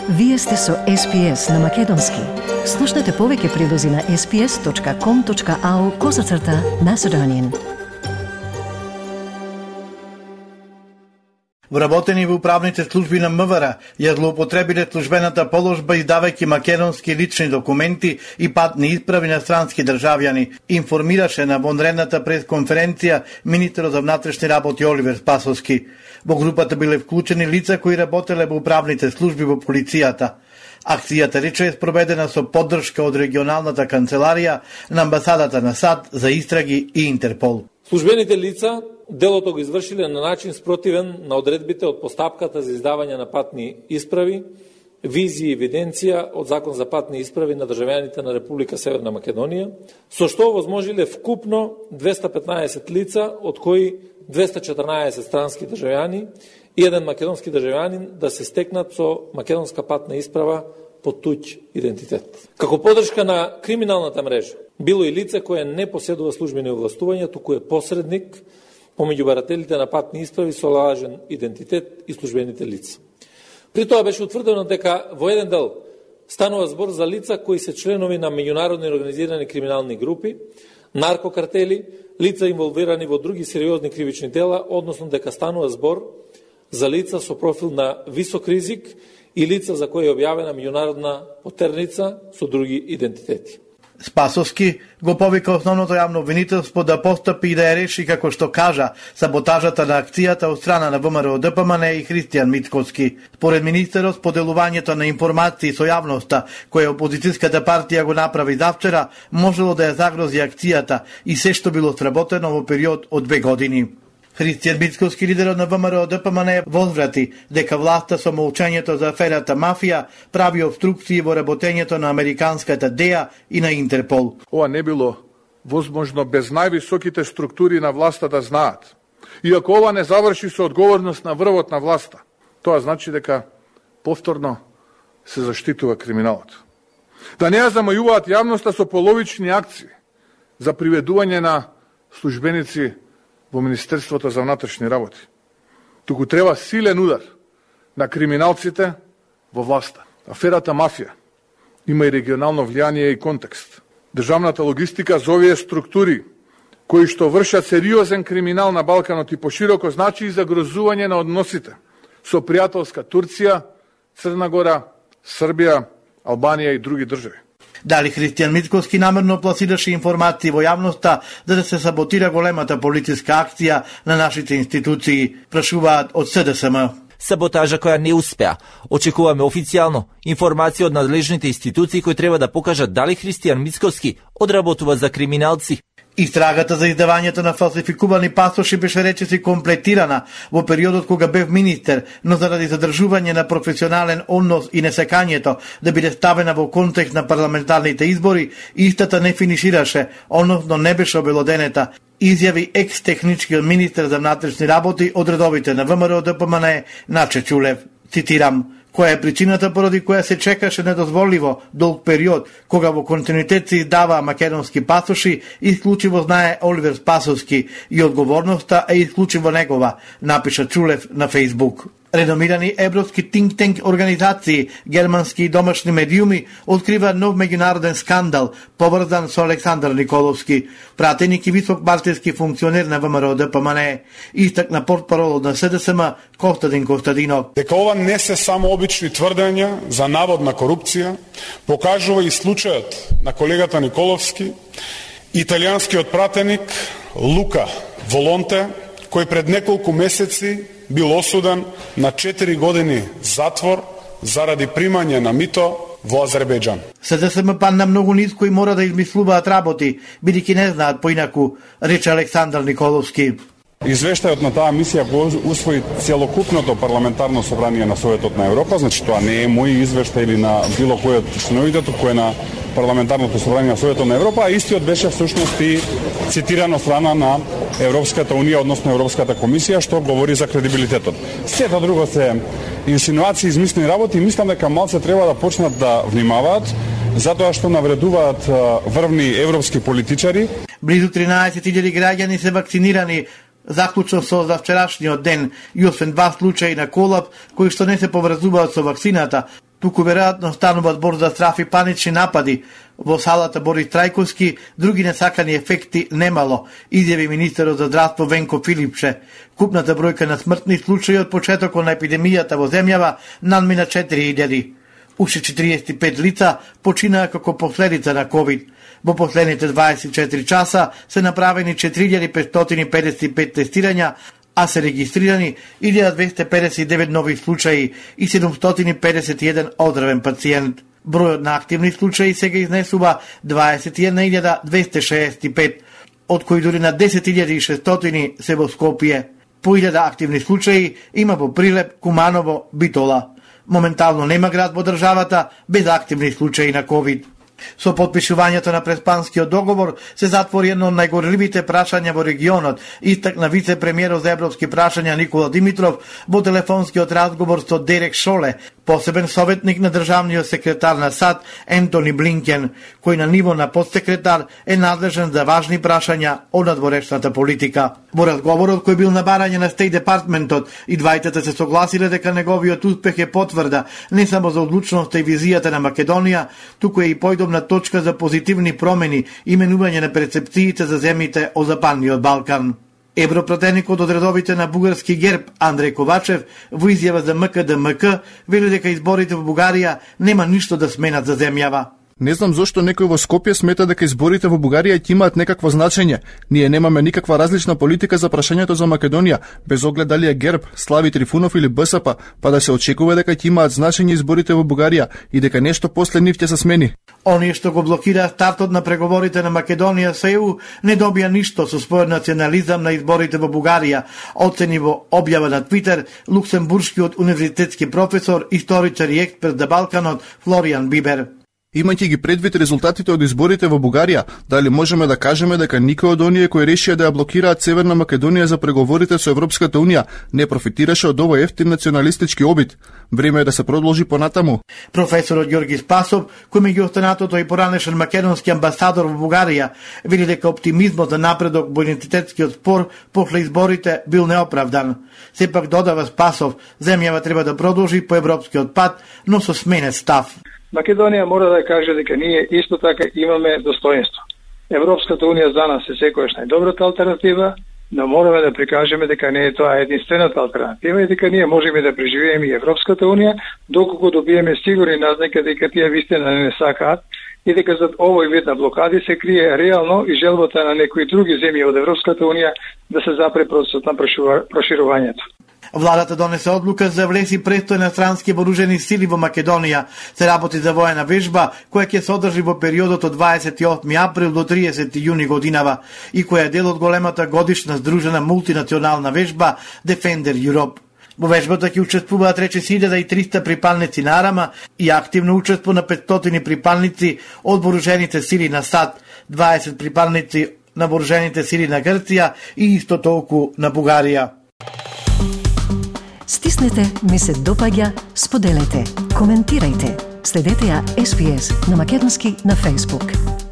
Вие сте со SPS на Македонски. Слушнете повеќе прилози на sps.com.au/Macedonian. Вработени во управните служби на МВР ја злоупотребиле службената положба издавајќи македонски лични документи и патни исправи на странски државјани, информираше на вонредната пресконференција министерот за внатрешни работи Оливер Спасовски. Во групата биле вклучени лица кои работеле во управните служби во полицијата. Акцијата рече е спроведена со поддршка од регионалната канцеларија на амбасадата на САД за истраги и Интерпол. Службените лица делото го извршиле на начин спротивен на одредбите од постапката за издавање на патни исправи, визија и евиденција од Закон за патни исправи на државјаните на Република Северна Македонија, со што возможиле вкупно 215 лица, од кои 214 странски државјани и еден македонски државјанин да се стекнат со македонска патна исправа под туѓ идентитет. Како поддршка на криминалната мрежа, било и лице кое не поседува службени овластувања, туку е посредник помеѓу барателите на патни исправи со лажен идентитет и службените лица. При тоа беше утврдено дека во еден дел станува збор за лица кои се членови на меѓународни организирани криминални групи, наркокартели, лица инволвирани во други сериозни кривични дела, односно дека станува збор за лица со профил на висок ризик и лица за кои е објавена меѓународна потерница со други идентитети. Спасовски го повика основното јавно обвинителство да постапи и да ја реши, како што кажа, саботажата на акцијата од страна на ВМРО ДПМН и Христијан Мицкоски. Според министерот, поделувањето на информации со јавноста, која опозицијската партија го направи завчера, можело да ја загрози акцијата и се што било сработено во период од 2 години. Христијан Мицкоски, лидерот на ВМРО ДПМН, возврати дека власта со молчањето за аферата мафија прави обструкции во работењето на американската ДЕА и на Интерпол. Ова не било возможно без највисоките структури на власта да знаат. И ако ова не заврши со одговорност на врвот на власта, тоа значи дека повторно се заштитува криминалот. Да не ја замајуваат јавноста со половични акции за приведување на службеници во Министерството за внатрешни работи. Туку треба силен удар на криминалците во власта. Аферата мафија има и регионално влијание и контекст. Државната логистика за овие структури кои што вршат сериозен криминал на Балканот и пошироко значи и загрозување на односите со пријателска Турција, Црна Гора, Србија, Албанија и други држави. Дали Христијан Мицкоски намерно пласираше информации во јавноста за да се саботира големата полициска акција на нашите институции, прашуваат од СДСМ. Саботажа која не успеа. Очекуваме официјално информација од надлежните институции кои треба да покажат дали Христијан Мицкоски одработува за криминалци. Истрагата за издавањето на фалсификувани пасоши беше речиси комплетирана во периодот кога бев министер, но заради задржување на професионален однос и несекањето да биде ставена во контекст на парламентарните избори, истата не финишираше, односно не беше обелоденета, изјави екс-техничкиот министер за внатрешни работи од редовите на ВМРО ДПМН Наче Чулев. Цитирам: која е причината поради која се чекаше недозволиво долг период, кога во континуитет се издаваа македонски пасоши, исклучиво знае Оливер Спасовски и одговорноста е исклучиво негова, напиша Чулев на Фейсбук. Реномирани европски think-tank организации, германски и домашни медиуми открива нов меѓународен скандал поврзан со Александар Николовски, пратеник и висок партиски функционер на ВМРО ДПМН, истакна портпаролот на СДСМ Костадин Костадинов. Дека ова не се само обични тврдења за наводна корупција, покажува и случајот на колегата Николовски, италијанскиот пратеник Лука Волонте, кој пред неколку месеци бил осуден на 4 години затвор заради примање на мито во Азербејџан. СДСМ падна многу ниско и мора да измислуваат работи, бидејќи не знаат поинаку, рече Александар Николовски. Извештајот на таа мисија го усвои целокупното парламентарно собрание на Советот на Европа, значи тоа не е мој извештај или на било кој од членовите, туку е на парламентарното собрание на Советот на Европа, а истиот беше всушност и цитирано страна на Европската унија, односно Европската комисија, што говори за кредибилитетот. Сето друго се инсинуации, измислени работи, и мислам дека малце треба да почнат да внимаваат, затоа што навредуваат врвни европски политичари. Близу 13.000 граѓани се вакцинирани заклучно со завчерашниот ден и освен 2 случаи на колап кои што не се поврзуваат со вакцината, туку веројатно станува збор за страф и панични напади. Во салата Борис Трајковски други несакани ефекти немало, изјави министерот за здравство Венко Филипче. Купната бројка на смртни случаи од почетокот на епидемијата во земјава надмина 4000. Уште 45 лица починаа како последица на ковид. Во последните 24 часа се направени 4555 тестирања, а се регистрирани 1259 нови случаи и 751 оздравен пациент. Бројот на активни случаи сега изнесува 21.265, од кои дури на 10.600 се во Скопје. По 1000 активни случаи има во Прилеп, Куманово, Битола. Моментално нема град во државата без активни случаи на ковид. Со потпишувањето на Преспанскиот договор се затвори едно од најгорливите прашања во регионот, истакна вице-премиерот за европски прашања Никола Димитров во телефонскиот разговор со Дерек Шоле, посебен советник на државниот секретар на САД Ентони Блинкен, кој на ниво на подсекретар е надлежен за важни прашања од надворешната политика. Во разговорот кој бил на барање на Стејт Департментот, и двајтата се согласиле дека неговиот успех е потврда не само за одлучноста и визијата на Македонија, туку е и појдобна точка за позитивни промени и менување на перцепциите за земјите од Западниот Балкан. Европратеникот од редовите на бугарски ГЕРБ Андреј Ковачев во изјава за МКДМК вели дека изборите во Бугарија нема ништо да сменат за земјава. Не знам зошто некој во Скопје смета дека изборите во Бугарија ќе имаат некакво значење. Ние немаме никаква различна политика за прашањето за Македонија, без оглед дали е ГЕРБ, Слави Трифунов или БСП, па да се очекува дека ќе имаат значење изборите во Бугарија и дека нешто после нив ќе се смени. Оние што го блокира стартот на преговорите на Македонија со ЕУ не добија ништо со својот национализам на изборите во Бугарија, оцени во објава на Твитер луксембуршкиот универзитетски професор, историчар и експерт за Балканот Флориан Бибер. Имајќи ги предвид резултатите од изборите во Бугарија, дали можеме да кажеме дека никој од оние кои решија да ја блокираат Северна Македонија за преговорите со Европската Унија не профитираше од овој ефтин националистички обид? Време е да се продолжи понатаму. Професорот Ѓорги Спасов, кој меѓу останатото и поранешен македонски амбасадор во Бугарија, вели дека оптимизмот за напредок во идентитетскиот спор после изборите бил неоправдан. Сепак додава Спасов, земјава треба да продолжи по европскиот пат, но со сменет став. Македонија мора да каже дека ние исто така имаме достоинство. Европската Унија за нас е секојаш најдобрата алтернатива, но мораме да прикажеме дека не е тоа единствената алтернатива и дека ние можеме да преживееме и Европската Унија доколку добиеме сигурни назнаки дека тие вистина не сакаат и дека зад овој вид на блокади се крие реално и желбата на некои други земји од Европската Унија да се запре процесот на проширувањето. Владата донесе одлука за влези престој на странски вооружени сили во Македонија. Се работи за воена вежба која ќе се одржи во периодот од 28 април до 30 јуни годинава и која е дел од големата годишна здружена мултинационална вежба Defender Europe. Во вежбата ќе учествуваат рече 1300 припалници на Арама и активно учество на 500 припалници од вооружените сили на САД, 20 припалници на вооружените сили на Грција и исто толку на Бугарија. Стиснете, ми се допаѓа, споделете, коментирајте. Следете ја SPS на македонски на Facebook.